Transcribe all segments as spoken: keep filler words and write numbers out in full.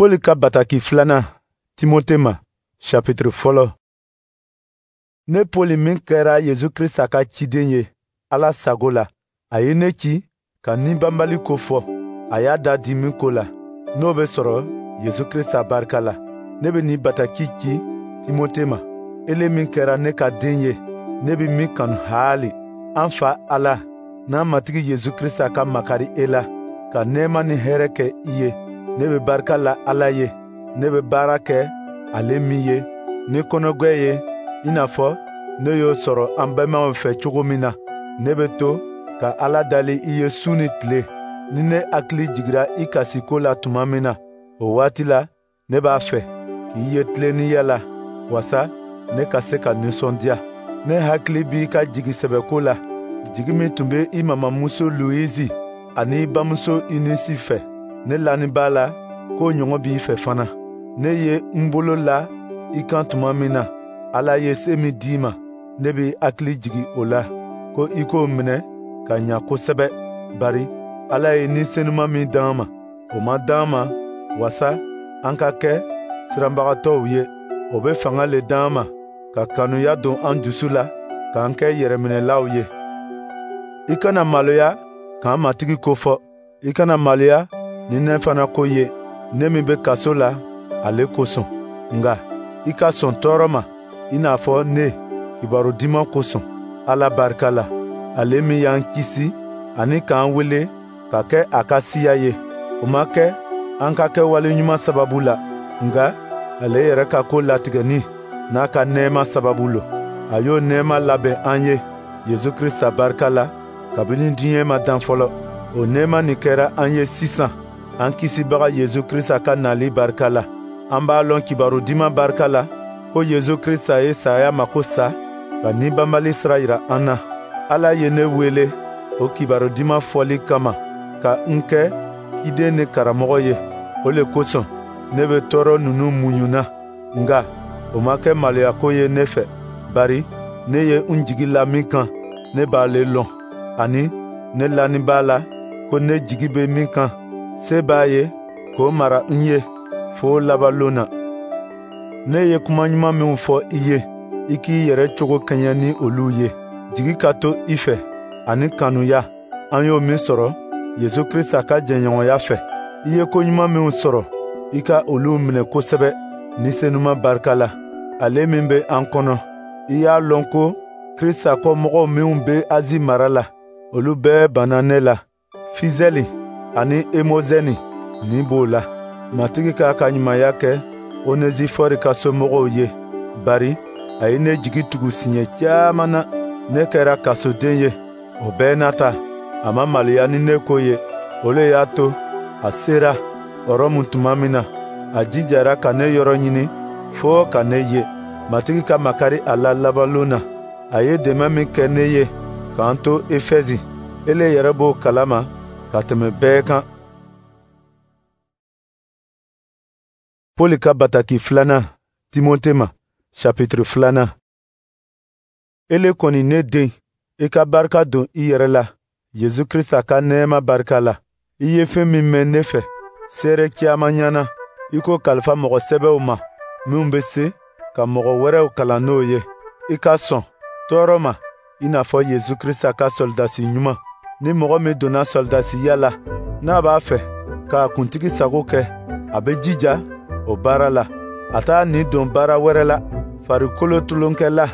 Pɔli ka bataki filanan Timote ma, chapitre fɔlɔ. Ne Pɔli min kɛra Yesu Krista ka ciden ye Ala sago la, a ye ne ci ka ni banbali ko fɔ, a y'a da di min ko la, n'o bɛ sɔrɔ Yesu Krista barika la. Ne bɛ nin bataki ci Timote ma, ele min kɛra ne ka den ye, ne bɛ min kanu haali. An Fa Ala n'an Matigi Yesu Krista ka makari e la, ka nɛɛma ni hɛrɛ kɛ i ye. Ne bɛ barika la Ala ye, ne bɛ baara kɛ ale min ye ni kɔnɔgwɛ ye, i n'a fɔ ne y'o sɔrɔ an bɛnbaw fɛ cogo min na. Ne bɛ to ka Ala dali i ye su ni tile. Ni ne hakili jigira i kasiko la tuma min na, o waati la ne b'a fɛ k'i ye tilennenya la, wasa ne ka se ka nisɔndiya. Ne hakili b'i ka jigi sɛbɛko la, jigi min tun bɛ i mamamuso Luwisi ani i bamuso Unisi fɛ. Ne lanin b'a la k'o ɲɔgɔn b'i fɛ fana. Ne ye n bolo la i kan tuma min na, Ala ye se min d'i ma, ne b'i hakili jigi o la, ko i k'o minɛ ka ɲa kosɛbɛ. Bari Ala ye Ni Senuma min d'an ma, o ma d'an ma wasa an ka kɛ siranbagatɔw ye. O bɛ fanga le d'an ma ka kanuya don an dusu la, k'an kɛ yɛrɛminɛlaw ye. I kana maloya k'an Matigi ko fɔ. I kana maloya ni ne fana ko ye, ne min bɛ kaso la ale kosɔn. Nka i ka sɔn tɔɔrɔ ma i n'a fɔ ne kibaru diman kosɔn, Ala barika la, ale min y'an kisi ani k'an wele ka kɛ a ka siya ye. O ma kɛ an ka kɛwale ɲuman sababu la, nka ale yɛrɛ ka ko latigɛni n'a ka nɛɛma sababu lo. A y'o nɛɛma labɛn an ye Yesu Krista barika la kabini diɲɛ ma dan fɔlɔ. O nɛɛma nin kɛra an ye sisan an Kisibaga Yesu Krista ka nali barika la. An b'a lɔn kibaru diman barika la ko Yesu Krista ye saya mako sa ka ni banbali sira yira an na. Ala ye ne wele o kibaru diman fɔli kama ka n kɛ ciden ni karamɔgɔ ye. O le kosɔn ne bɛ tɔɔrɔ ninnu muɲuna, nka o ma kɛ maloyako ye ne fɛ, bari ne ye n jigi la min kan, ne b'ale lɔn, ani ne lanin b'a la ko ne jigi bɛ min kan, se b'a ye k'o mara n ye fo laban lon na. Ne ye kuma ɲuman minw fɔ i ye, i k'i yɛrɛ cogo kɛɲɛ ni olu ye. Jigi ka to i fɛ ani kanuya, an y'o min sɔrɔ Yesu Krista ka jɛɲɔgɔnya fɛ. I ye ko ɲuman minw sɔrɔ, i ka olu minɛ kosɛbɛ Ni Senuma barika la, ale min bɛ an kɔnɔ. I y'a lɔn ko Krista kɔmɔgɔw minw bɛ Azi mara la, olu bɛɛ banna ne la. Fizɛli ani Emozɛni nin b'o la. Matigi k'a ka ɲumanya kɛ Onezifɔri ka somɔgɔw ye, bari a ye ne jigi tugu siɲɛ caman na. Ne kɛra kasoden ye, o bɛɛ n'a ta, a ma maloya ni ne ko ye. O le y'a to a sera Rɔmu tuma min na, a jijara ka ne yɔrɔ ɲini fo ka ne ye. Matigi ka makari a la labanlon na. A ye dɛmɛ min kɛ ne ye k'an to Efɛzi, ele yɛrɛ b'o kalama ka tɛmɛ bɛɛ kan. Pɔli ka bataki filanan Timote ma, chapitre filanan. Ele kɔni ne den, i ka barika don i yɛrɛ la Yesu Krista ka nɛɛma barika la. I ye fɛn min mɛn ne fɛ seere caman ɲɛna, i k'o kalifa mɔgɔ sɛbɛw ma minw bɛ se ka mɔgɔ wɛrɛw kalan n'o ye. I ka sɔn tɔɔrɔ ma i n'a fɔ Yesu Krista ka sɔlidasi ɲuman. Ni mɔgɔ min donna sɔlidasiya la, n'a b'a fɛ k'a kuntigi sago kɛ, a bɛ jija o baara la. A t'a ni don baara wɛrɛ la. Farikolo tulonkɛla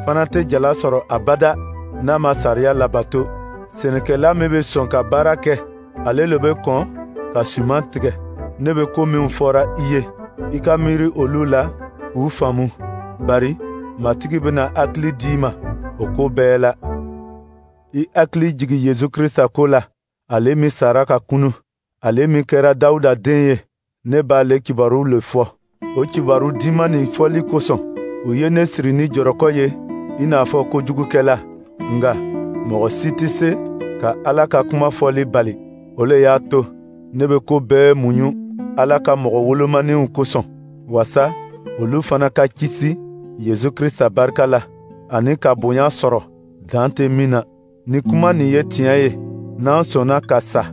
fana tɛ jala sɔrɔ abada n'a ma sariya labato. Sɛnɛkɛla min bɛ sɔn ka baara kɛ, ale le bɛ kɔn ka suman tigɛ. Ne bɛ ko minw fɔra i ye, i ka miiri olu la k'u faamu, bari Matigi bɛna hakili d'i ma o ko bɛɛ la. I hakili jigi Yesu Krista ko la, ale min sara ka kunu, ale min kɛra Dawuda den ye, ne b'ale kibaru le fɔ. O kibaru diman nin fɔli kosɔn, u ye ne siri ni jɔrɔkɔ ye i n'a fɔ kojugukɛla. Nka mɔgɔ si tɛ se ka Ala ka kuma fɔli bali. O le y'a to ne bɛ ko bɛɛ muɲu Ala ka mɔgɔ wolomaninw kosɔn, wasa olu fana ka kisi Yesu Krista barika la, ani ka bonya sɔrɔ dan tɛ min na. Ni kuma nin ye tiɲɛ ye, n'an sɔnna ka sa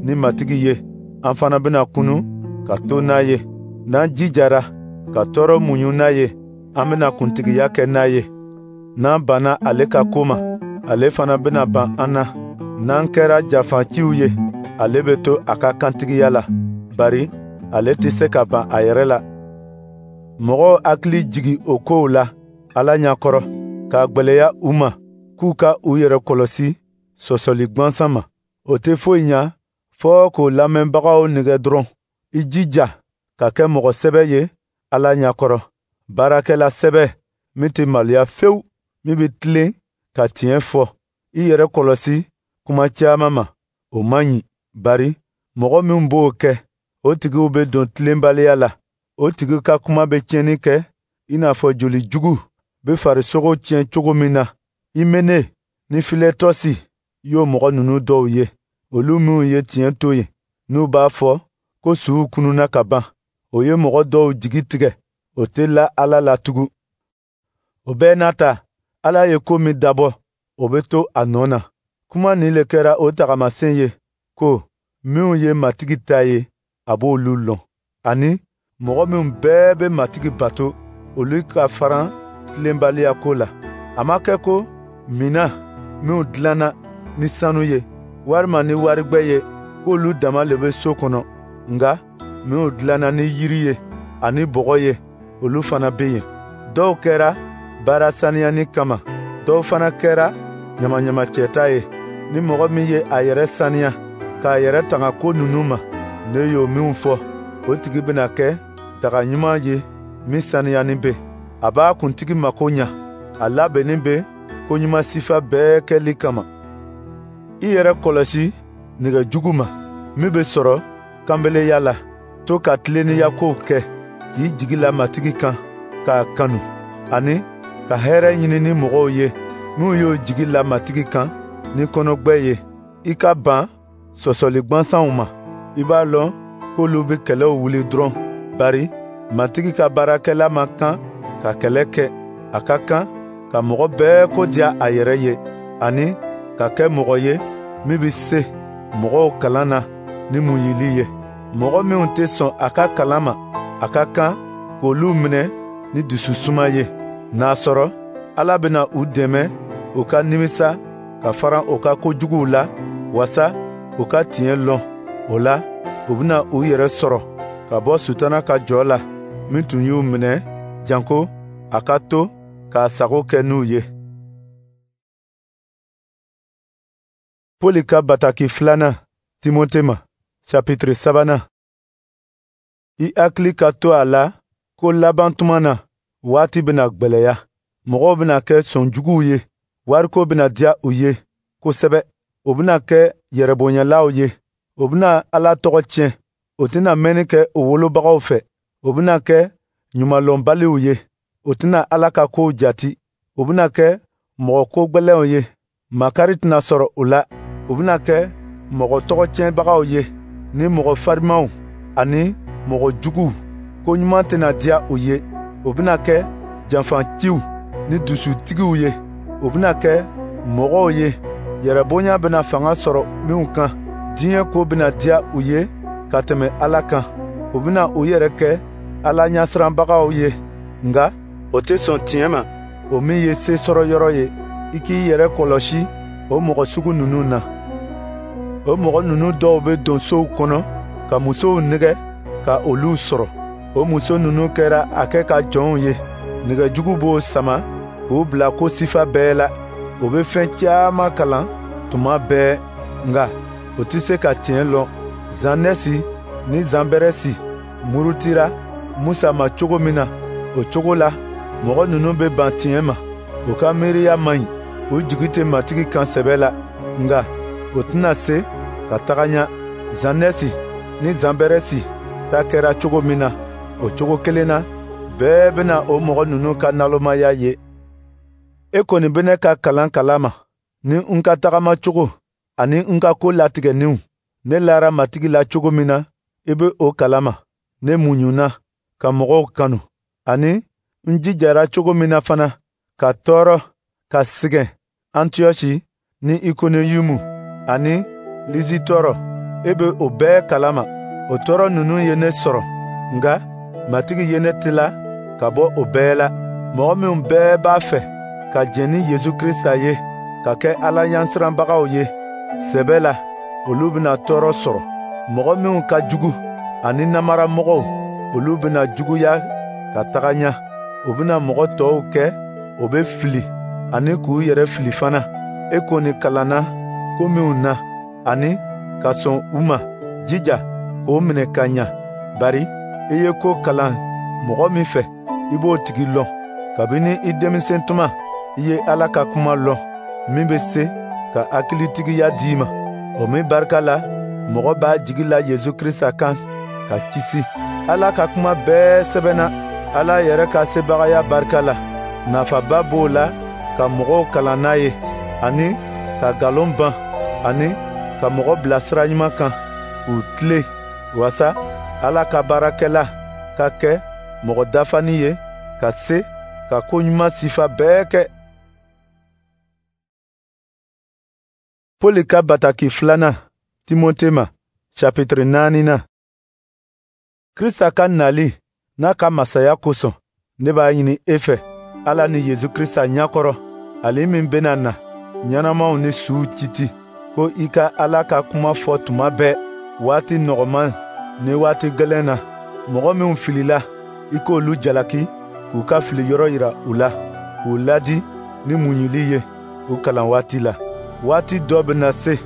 ni Matigi ye, an fana bɛna kunu ka to n'a ye. N'an jijara ka tɔɔrɔ muɲu n'a ye, an bɛna kuntigiya kɛ n'a ye. N'an banna ale ka ko ma, ale fana bɛna ban an na. N'an kɛra janfaciw ye, ale bɛ to a ka kantigiya la, bari ale tɛ se ka ban a yɛrɛ la. Mɔgɔw hakili jigi o kow la Ala ɲɛkɔrɔ, k'a gwɛlɛya u ma k'u ka u yɛrɛ kɔlɔsi sɔsɔli gwansan ma. O tɛ foyi ɲa fɔɔ k'o lamɛnbagaw nɛgɛ dɔrɔn. I jija ka kɛ mɔgɔ sɛbɛ ye Ala ɲɛkɔrɔ, baarakɛla sɛbɛ min tɛ maloya fewu, min bɛ tilen ka tiɲɛ fɔ. I yɛrɛ kɔlɔsi kuma caman ma, o man ɲi, bari mɔgɔ min b'o kɛ, o tigiw bɛ don tilenbaliya la. O tigi ka kuma bɛ tiɲɛni kɛ i n'a fɔ joli jugu bɛ farisogo tiɲɛ cogo min na. Imene ni Filetɔsi y'o mɔgɔ ninnu dɔw ye, olu minnu ye tiɲɛ to yen, n'u b'a fɔ ko suw kununna ka ban. O ye mɔgɔ dɔw jigi tigɛ, o tɛ la Ala la tugun. O bɛɛ n'a ta, Ala ye ko min dabɔ, o bɛ to a nɔ na. Kuma nin le kɛra o tagamasen ye ko minnu ye Matigi ta ye, a b'olu lɔn. Ani mɔgɔ minnu bɛɛ bɛ Matigi bato, olu ka faran tilenbaliya ko la. A ma kɛ ko minan minnu dilanna ni sanu ye, walima ni warigwɛ ye, k'olu dama le bɛ so kɔnɔ, nka minnu dilanna ni yiri ye ani bɔgɔ ye, olu fana bɛ yen. Dɔw kɛra baara saniyani kama, dɔw fana kɛra ɲamaɲamacɛta ye. Ni mɔgɔ min ye a yɛrɛ saniya k'a yɛrɛ tanga ko ninnu ma, ne y'o minw fɔ, o tigi bɛna kɛ daga ɲuman ye min saniyani bɛ. A b'a kuntigi mako ɲa, a labɛnnin bɛ koɲuman sifa bɛɛ kɛli kama. I yɛrɛ kɔlɔsi nɛgɛ jugu ma, min bɛ sɔrɔ kanbeleya la. To ka tilennenya kow kɛ, k'i jigi la Matigi kan, k'a kanu, ani ka hɛrɛ ɲini ni mɔgɔw ye minnu y'o jigi la Matigi kan ni kɔnɔgbɛ ye. I ka ban sɔsɔli gwansanw ma. I b'a lɔn k'olu bɛ kɛlɛw wuli dɔrɔn, bari Matigi ka baarakɛla man kan ka kɛlɛ kɛ. A ka kan ka mɔgɔ bɛɛ ko diya a yɛrɛ ye, ani ka kɛ mɔgɔ ye min bɛ se mɔgɔw kalan na ni muɲuli ye. Mɔgɔ minnu tɛ sɔn a ka kalan ma, a ka kan k'olu minɛ ni dususuma ye. N'a sɔrɔ Ala bɛna u dɛmɛ u ka nimisa ka faran u ka kojuguw la, wasa u ka tiɲɛ lɔn. O la, u bɛna u yɛrɛ sɔrɔ ka bɔ Sutana ka jɔ la, min tun y'u minɛ, janko a ka to k'a sago kɛ n'u ye. Poli ka bataki filanan Timote ma, chapitre sabanan. I hakili ka to a la ko laban tuma na, waati bɛna gwɛlɛya. Mɔgɔw bɛna kɛ sɔnjuguw ye, wariko bɛna diya u ye kosɛbɛ. U bɛna kɛ yɛrɛbonyalaw ye, u bɛna Ala tɔgɔ tiɲɛ, u tɛna mɛnni kɛ u wolobagaw fɛ, u bɛna kɛ ɲumanlɔnbaliw ye, u tɛna Ala ka kow jati, u bɛna kɛ mɔgɔ ko gwɛlɛnw ye, makari tɛna sɔrɔ u la, u bɛna kɛ mɔgɔ tɔgɔ tiɲɛbagaw ye, ni mɔgɔ farimanw ani mɔgɔ juguw. Ko ɲuman tɛna diya u ye, u bɛna kɛ janfanciw ni dusutigiw ye, u bɛna kɛ mɔgɔw ye yɛrɛbonya bɛna fanga sɔrɔ minw kan. Diɲɛ ko bɛna diya u ye ka tɛmɛ Ala kan. U bɛna u yɛrɛ kɛ Ala ɲɛsiranbagaw ye, nka o tɛ sɔn tiɲɛ ma, o min ye se sɔrɔ yɔrɔ ye. I k'i yɛrɛ kɔlɔsi o mɔgɔ sugu ninnu na. O mɔgɔ ninnu dɔw bɛ don sow kɔnɔ ka musow nɛgɛ ka olu sɔrɔ. O muso ninnu kɛra a kɛ ka jɔnw ye. Nɛgɛjugu b'o sama k'u bila ko sifa bɛɛ la. U bɛ fɛn caman kalan tuma bɛɛ, nka u tɛ se ka tiɲɛ lɔn. Zanɛsi ni Zanbɛrɛsi murutira Musa ma cogo min na, o cogo la mɔgɔ ninnu bɛ ban tiɲɛ ma. U ka miiriya man ɲi, u jigi tɛ Matigi kan sɛbɛ la, nka u tɛna se ka taga ɲɛ. Zanɛsi ni Zanbɛrɛsi ta kɛra cogo min na, o cogo kelen na, bɛɛ bɛna o mɔgɔ ninnu ka nalomaya ye. E kɔni bɛ ne ka kalan kalama, ni n ka tagama cogo ani n ka ko latigɛninw. Ne lara Matigi la cogo min na, i bɛ o kalama. Ne muɲuna ka mɔgɔw kanu, ani n jijara cogo min na fana ka tɔɔrɔ ka sɛgɛn Antiyɔsi ni Ikoniyumu ani Lisitɔrɔ, e bɛ o bɛɛ kalama. O tɔɔrɔ ninnu ye ne sɔrɔ, nka Matigi ye ne tila ka bɔ o bɛɛ la. Mɔgɔ minnu bɛɛ b'a fɛ ka jɛn ni Yesu Krisita ye, ka kɛ Ala ɲɛsiranbagaw ye sɛbɛ la, olu bɛna tɔɔrɔ sɔrɔ. Mɔgɔ minnu ka jugu ani namaramɔgɔw, olu bɛna juguya ka taga ɲɛ. U bɛna mɔgɔ tɔw kɛ o bɛ fili ani k'u yɛrɛ fili fana. E kɔni kalanna ko minnu na ani ka sɔn u ma, jija k'o minɛ ka ɲa, bari i ye ko kalan mɔgɔ min fɛ, i b'o tigi lɔn. Kabini i denmisɛn tuma, i ye Ala ka kuma lɔn min bɛ se ka hakilitigiya d'i ma. O min barika la, mɔgɔ b'a jigi la Yesu Krisita kan ka kisi. Ala ka kuma bɛɛ sɛbɛnna Ala yɛrɛ ka sebagaya barika la. Nafaba b'o la ka mɔgɔw kalan n'a ye, ani ka nkalon ban, ani ka mɔgɔ bila sira ɲuman kan k'u tilen, waasa Ala ka baarakɛla ka kɛ mɔgɔ dafanin ye, ka se ka ko ɲuman sifa bɛɛ kɛ. Pɔli ka bataki filanan Timote ma, chapitre naaninan. Krista ka nali n'a ka masaya kosɔn, ne b'a ɲini e fɛ Ala ni Yesu Krista ɲɛkɔrɔ, ale min bɛna na ɲɛnamaw ni suw kiti, ko i ka Ala ka kuma fɔ tuma bɛɛ, waati nɔgɔman ni waati gɛlɛn na. Mɔgɔ minw filila, i k'olu jalaki k'u ka fili yɔrɔ yira u la, k'u ladi ni muɲuli ye u kalan waati la. Waati dɔ bɛna se,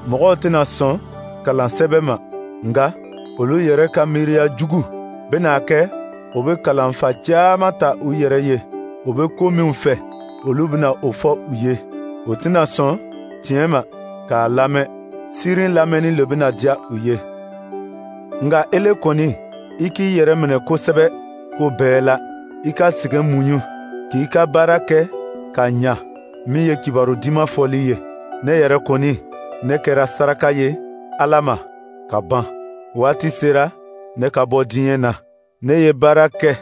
mɔgɔw tɛna sɔn kalan sɛbɛ ma, nka olu yɛrɛ ka miiriya jugu bɛna kɛ o bɛ kalanfa caman ta u yɛrɛ ye. U bɛ ko minw fɛ, olu bɛna o fɔ u ye. U tɛna sɔn tiɲɛ ma k'a lamɛn. Sirin lamɛnni le bɛna diya u ye. Nka ele kɔni, i k'i yɛrɛ minɛ kosɛbɛ ko bɛɛ la. I ka sɛgɛn muɲu, k'i ka baara kɛ ka ɲa, min ye kibaru duman fɔli ye. Ne yɛrɛ kɔni, ne kɛra saraka ye Ala ma ka ban. Waati sera ne ka bɔ diɲɛ na. Ne ye baara kɛ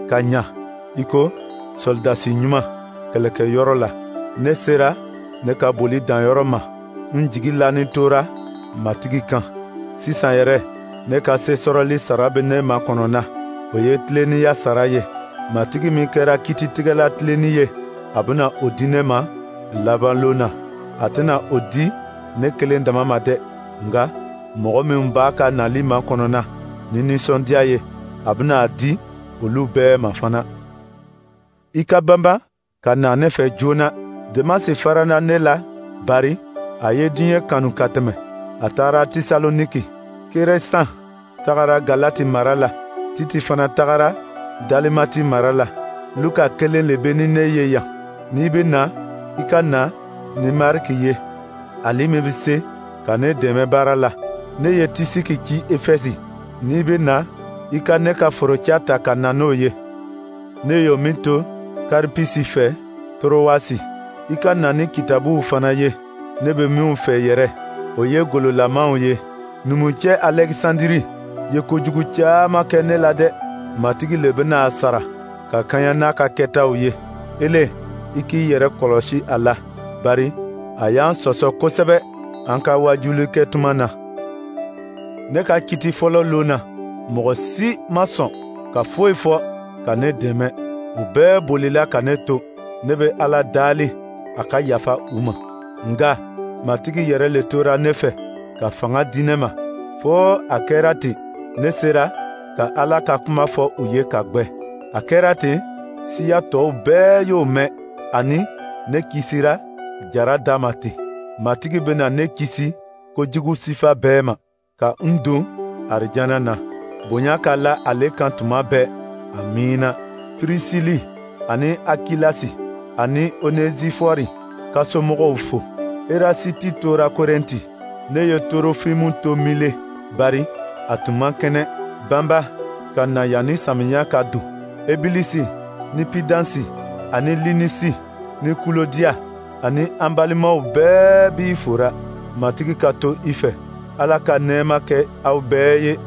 ka ɲa i ko sɔlidasi ɲuman kɛlɛkɛyɔrɔ la. Ne sera ne ka boli danyɔrɔ ma. N jigi lanin tora Matigi kan. Sisan yɛrɛ, ne ka se sɔrɔli sara bɛ ne makɔnɔ na. O ye tilennenya sara ye. Matigi min kɛra kititigɛla tilenni ye, a bɛna o di ne ma laban lon na. A tɛna o di ne kelen dama ma dɛ, nka mɔgɔ minnu b'a ka nali makɔnɔ na ni nisɔndiya ye, a bɛna a di olu bɛɛ ma fana. I ka banba ka na ne fɛ joona. Demasi farana ne la, bari a ye diɲɛ kanu ka tɛmɛ. A taara Tesaloniki. Keresan tagara Galati mara la. Titi fana tagara Dalimati mara la. Luka kelen le bɛ ni ne ye yan. N'i bɛ na, i ka na ni Mariki ye, ale min bɛ se ka ne dɛmɛ baara la. Ne ye Tisiki ci Efɛsi. N'i bɛ na, i ka ne ka foroca ta ka na n'o ye. Ne y'o min to Karipisi fɛ Torowasi. I ka na ni kitabuw fana ye, ne bɛ minw fɛ yɛrɛ, o ye gololamaw ye. Numucɛ Alɛkisandiri ye kojugu caman kɛ ne la dɛ. Matigi le bɛna a sara ka kaɲa n'a ka kɛtaw ye. Ele, i k'i yɛrɛ kɔlɔsi a la, bari a y'an sɔsɔ kosɛbɛ an ka wajuli kɛ tuma na. Ne ka kiti fɔlɔ lon na, mɔgɔ si ma sɔn ka foyi fɔ ka ne dɛmɛ. U bɛɛ bolila ka ne to. Ne bɛ Ala dali a ka yafa u ma. Nka Matigi yɛrɛ le tora ne fɛ ka fanga di ne ma, fo a kɛra ten ne sera ka Ala ka kuma fɔ u ye ka gwɛ. A kɛra ten, siya tɔw bɛɛ y'o mɛn, ani ne kisira jara da ma ten. Matigi bɛna ne kisi kojugu sifa bɛɛ ma, ka n don arijana na. Bonya ka la ale kan tuma bɛɛ. Amiina. Pirisili ani Akilasi ani Onezifɔri ka somɔgɔw fo. Erasiti tora Korɛnti. Ne ye Torofimu to Mile, bari a tun man kɛnɛ. Banba ka na yanni samiya ka don. Ebilisi ni Pidansi ani Linisi ni Kulodiya ani an balimaw bɛɛ b'i fora. Matigi ka to i fɛ. Ala ka nɛɛma kɛ aw bɛɛ ye.